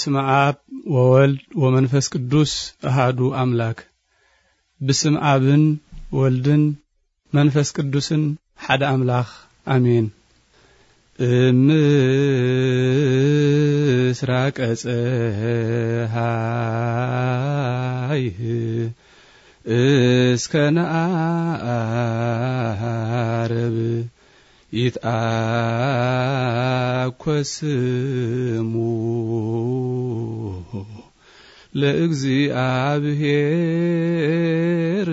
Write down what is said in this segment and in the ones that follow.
በስመ አብ ወወልድ ወመንፈስ ቅዱስ አሃዱ አምላክ። ብስም አብን ወልድን መንፈስ ቅዱስን ሓደ አምላኽ አሜን። እምስራቀ ፀሃይ እስከ ነዓርብ ይትአኮ ስሙ ለእግዚአብሔር።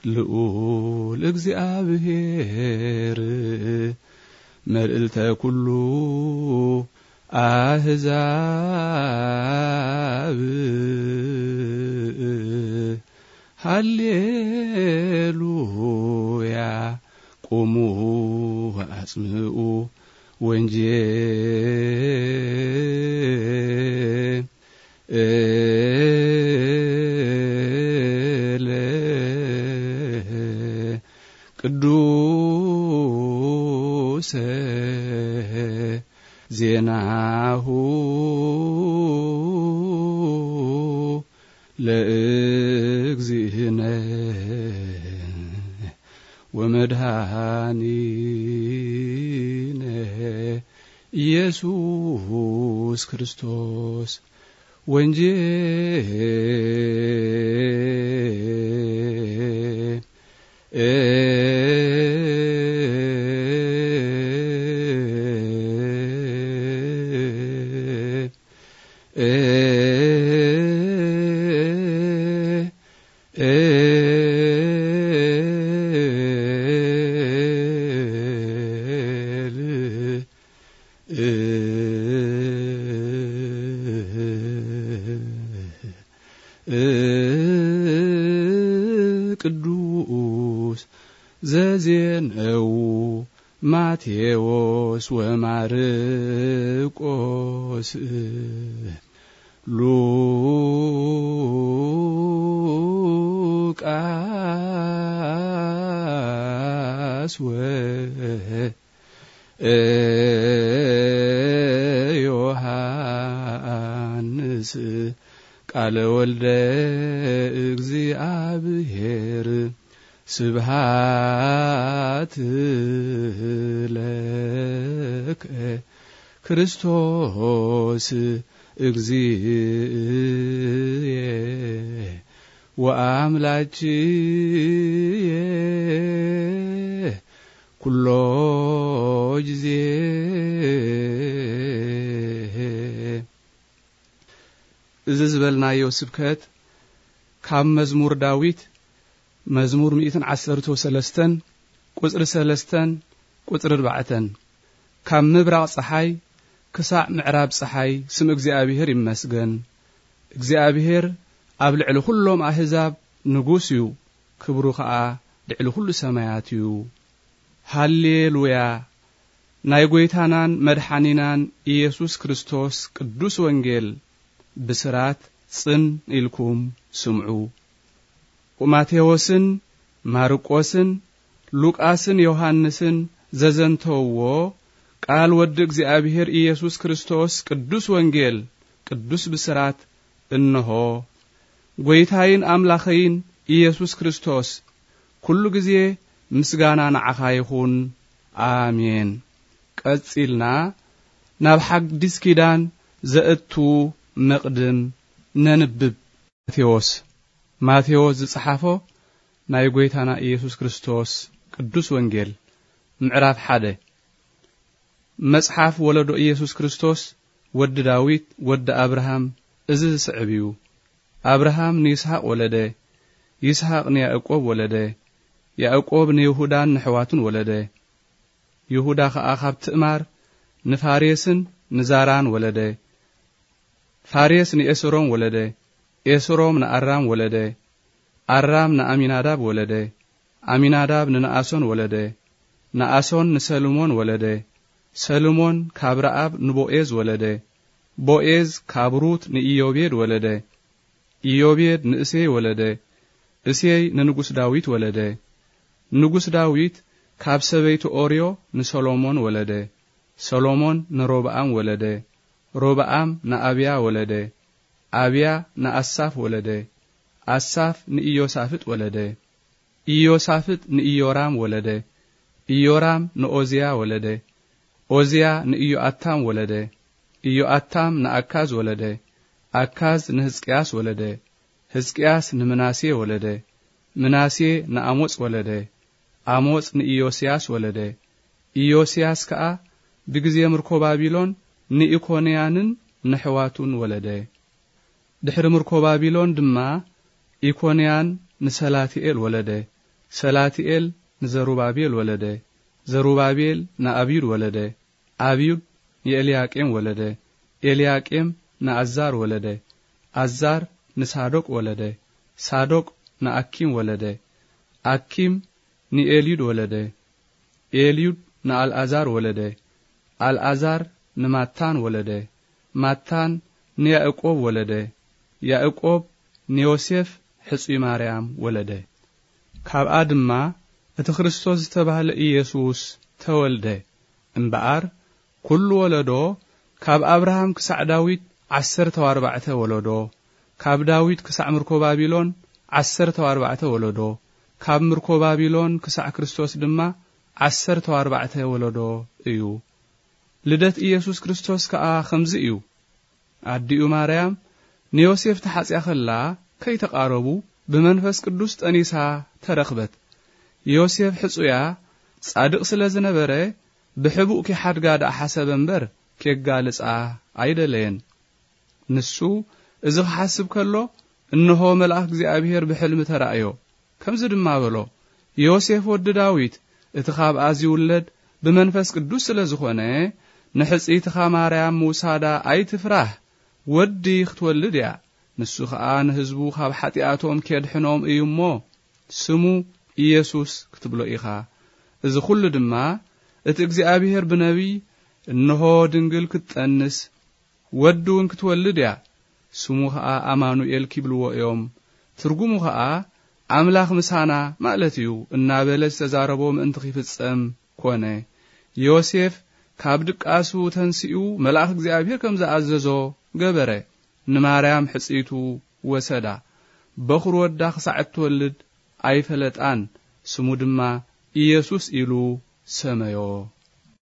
ልዑል እግዚኣብሔር መልዕልተ ኩሉ ኣህዛብ። ሃሌሉያ ቁሙ ወአጽምኡ ወንጌለ ቅዱሰ ዜናሁ ለእግዚእነ ወመድኃኒነ ኢየሱስ ክርስቶስ ወንጌል። ቅዱስ ዘዜነው ማቴዎስ ወማርቆስ ሉቃስ ወዮሐንስ ቃለ ወልደ እግዚኣብሔር። ስብሃት ለከ ክርስቶስ እግዚእየ ወአምላክየ ኩሎ ጊዜ። እዚ ዝበልናዮ ስብከት ካብ መዝሙር ዳዊት መዝሙር ሚእትን ዓሰርተ ወሰለስተን ቁጽሪ ሰለስተን ቁጽሪ ኣርባዕተን። ካብ ምብራቕ ጸሓይ ክሳዕ ምዕራብ ጸሓይ ስም እግዚኣብሔር ይመስገን። እግዚኣብሔር ኣብ ልዕሊ ኩሎም ኣህዛብ ንጉስ እዩ፣ ክብሩ ኸኣ ልዕሊ ኩሉ ሰማያት እዩ። ሃሌሉያ! ናይ ጐይታናን መድሓኒናን ኢየሱስ ክርስቶስ ቅዱስ ወንጌል ብስራት ጽን ኢልኩም ስምዑ። ማቴዎስን ማርቆስን ሉቃስን ዮሃንስን ዘዘንተውዎ ቃል ወዲ እግዚኣብሔር ኢየሱስ ክርስቶስ ቅዱስ ወንጌል ቅዱስ ብስራት እንሆ። ጐይታይን ኣምላኸይን ኢየሱስ ክርስቶስ፣ ኩሉ ግዜ ምስጋና ንዓኻ ይኹን። ኣሜን። ቀጺልና ናብ ሓዲስ ኪዳን ዘእቱ መቕድም ነንብብ። ማቴዎስ፣ ማቴዎስ ዝጸሓፎ ናይ ጐይታና ኢየሱስ ክርስቶስ ቅዱስ ወንጌል፣ ምዕራፍ ሓደ። መጽሓፍ ወለዶ ኢየሱስ ክርስቶስ ወዲ ዳዊት ወዲ ኣብርሃም እዚ ዝስዕብ እዩ። ኣብርሃም ንይስሐቅ ወለደ፣ ይስሐቅ ንያዕቆብ ወለደ፣ ያዕቆብ ንይሁዳን ንሕዋቱን ወለደ። ይሁዳ ኸኣ ካብ ትእማር ንፋሬስን ንዛራን ወለደ። ፋሬስ ንኤስሮም ወለደ፣ ኤስሮም ንኣራም ወለደ፣ ኣራም ንኣሚናዳብ ወለደ፣ ኣሚናዳብ ንነኣሶን ወለደ፣ ነኣሶን ንሰልሞን ወለደ፣ ሰልሞን ካብ ረኣብ ንቦኤዝ ወለደ፣ ቦኤዝ ካብ ሩት ንኢዮቤድ ወለደ፣ ኢዮቤድ ንእሴይ ወለደ፣ እሴይ ንንጉስ ዳዊት ወለደ፣ ንጉስ ዳዊት ካብ ሰበይቱ ኦርዮ ንሰሎሞን ወለደ፣ ሰሎሞን ንሮብኣም ወለደ። ሮብኣም ንኣብያ ወለደ። ኣብያ ንኣሳፍ ወለደ። ኣሳፍ ንኢዮሳፍጥ ወለደ። ኢዮሳፍጥ ንኢዮራም ወለደ። ኢዮራም ንኦዝያ ወለደ። ኦዝያ ንኢዮኣታም ወለደ። ኢዮኣታም ንኣካዝ ወለደ። ኣካዝ ንህዝቅያስ ወለደ። ህዝቅያስ ንምናሴ ወለደ። ምናሴ ንኣሞጽ ወለደ። ኣሞጽ ንኢዮስያስ ወለደ። ኢዮስያስ ከኣ ብግዜ ምርኮ ባቢሎን ንኢኮንያንን ንሕዋቱን ወለደ። ድሕሪ ምርኮ ባቢሎን ድማ ኢኮንያን ንሰላትኤል ወለደ። ሰላትኤል ንዘሩባቤል ወለደ። ዘሩባቤል ንኣብዩድ ወለደ። ኣብዩድ ንኤልያቄም ወለደ። ኤልያቄም ንኣዛር ወለደ። ኣዛር ንሳዶቅ ወለደ። ሳዶቅ ንኣኪም ወለደ። ኣኪም ንኤልዩድ ወለደ። ኤልዩድ ንኣልኣዛር ወለደ። ኣልኣዛር ንማታን ወለደ። ማታን ንያእቆብ ወለደ። ያእቆብ ንዮሴፍ ሕጹይ ማርያም ወለደ። ካብኣ ድማ እቲ ክርስቶስ ዝተባህለ ኢየሱስ ተወልደ። እምበኣር ኩሉ ወለዶ ካብ ኣብርሃም ክሳዕ ዳዊት ዓሰርተ ኣርባዕተ ወለዶ፣ ካብ ዳዊት ክሳዕ ምርኮ ባቢሎን ዓሰርተ ኣርባዕተ ወለዶ፣ ካብ ምርኮ ባቢሎን ክሳዕ ክርስቶስ ድማ ዓሰርተ ኣርባዕተ ወለዶ እዩ። ልደት ኢየሱስ ክርስቶስ ከኣ ከምዚ እዩ። ኣዲኡ ማርያም ንዮሴፍ ተሓጽያ ከላ ከይተቓረቡ ብመንፈስ ቅዱስ ጠኒሳ ተረኽበት። ዮሴፍ ሕጹያ ጻድቕ ስለ ዝነበረ ብሕቡእ ኪሓድጋ ደኣ ሓሰበ እምበር ኬጋልጻ ኣይደለየን። ንሱ እዚ ክሓስብ ከሎ እንሆ መልኣኽ እግዚኣብሔር ብሕልሚ ተራእዮ። ከምዚ ድማ በሎ፣ ዮሴፍ ወዲ ዳዊት፣ እቲ ካብኣ ዚውለድ ብመንፈስ ቅዱስ ስለ ዝኾነ፣ ንሕጽይትኻ ማርያም ምውሳዳ ኣይትፍራህ። ወዲ ክትወልድ እያ። ንሱ ኸኣ ንህዝቡ ካብ ሓጢኣቶም ኬድሕኖም እዩ እሞ፣ ስሙ ኢየሱስ ክትብሎ ኢኻ። እዚ ኹሉ ድማ እቲ እግዚኣብሔር ብነቢይ፣ እንሆ ድንግል ክትጠንስ፣ ወዲ እውን ክትወልድ እያ፣ ስሙ ኸኣ ኣማኑኤል ኪብልዎ እዮም። ትርጉሙ ኸኣ ኣምላኽ ምሳና ማለት እዩ እናበለ ዝተዛረቦ ምእንቲ ኺፍጸም ኮነ። ዮሴፍ ካብ ድቃሱ ተንሲኡ መልኣኽ እግዚኣብሔር ከም ዝኣዘዞ ገበረ። ንማርያም ሕጽይቱ ወሰዳ። በኹር ወዳ ክሳዕ እትወልድ ኣይፈለጣን። ስሙ ድማ ኢየሱስ ኢሉ ሰመዮ።